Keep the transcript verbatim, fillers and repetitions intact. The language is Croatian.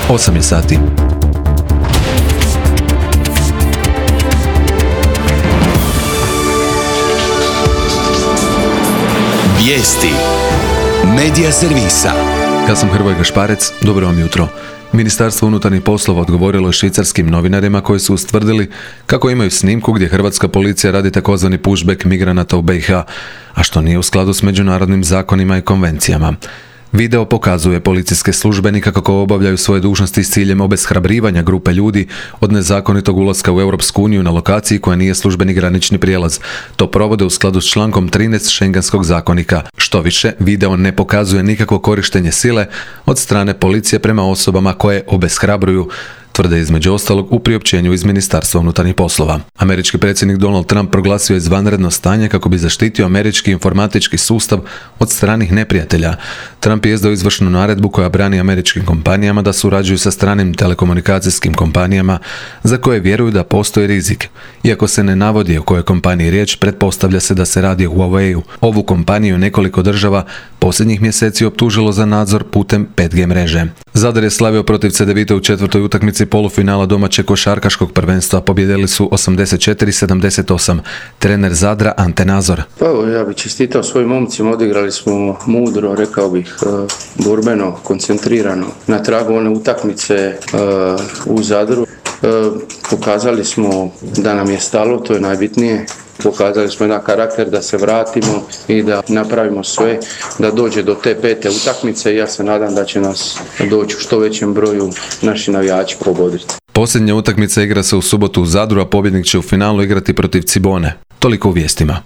osam je sati. Vijesti Medija servisa. Ja sam Hrvoje Gašparec, dobro vam jutro. Ministarstvo unutarnjih poslova odgovorilo je švicarskim novinarima koji su ustvrdili kako imaju snimku gdje hrvatska policija radi takozvani pushback migranata u B i H, a što nije u skladu s međunarodnim zakonima i konvencijama. Video pokazuje policijske službenike kako obavljaju svoje dužnosti s ciljem obeshrabrivanja grupe ljudi od nezakonitog ulaska u Europsku uniju na lokaciji koja nije službeni granični prijelaz. To provode u skladu s člankom trinaest Schengenskog zakonika. Što više, video ne pokazuje nikakvo korištenje sile od strane policije prema osobama koje obeshrabruju, tvrde između ostalog u priopćenju iz Ministarstva unutarnjih poslova. Američki predsjednik Donald Trump proglasio je izvanredno stanje kako bi zaštitio američki informatički sustav od stranih neprijatelja. Trump je izdao izvršnu naredbu koja brani američkim kompanijama da surađuju sa stranim telekomunikacijskim kompanijama za koje vjeruju da postoji rizik. Iako se ne navodi o kojoj kompaniji riječ, pretpostavlja se da se radi o Huawei-u. Ovu kompaniju nekoliko država posljednjih mjeseci optužilo za nadzor putem pet G mreže. Zadar je slavio protiv Cedevite u četvrtoj utakmici polufinala domaćeg košarkaškog prvenstva. Pobjedili su osamdeset četiri sedamdeset osam. Trener Zadra Ante Nazor. Pa evo, ja bih čestitao svojim momcima, odigrali smo mudro, rekao bih, borbeno, koncentrirano. Na tragu one utakmice u Zadru pokazali smo da nam je stalo, to je najbitnije. Pokazali smo jedan karakter da se vratimo i da napravimo sve da dođe do te pete utakmice i ja se nadam da će nas doći u što većem broju naši navijači pogoditi. Posljednja utakmica igra se u subotu u Zadru, a pobjednik će u finalu igrati protiv Cibone. Toliko u vijestima.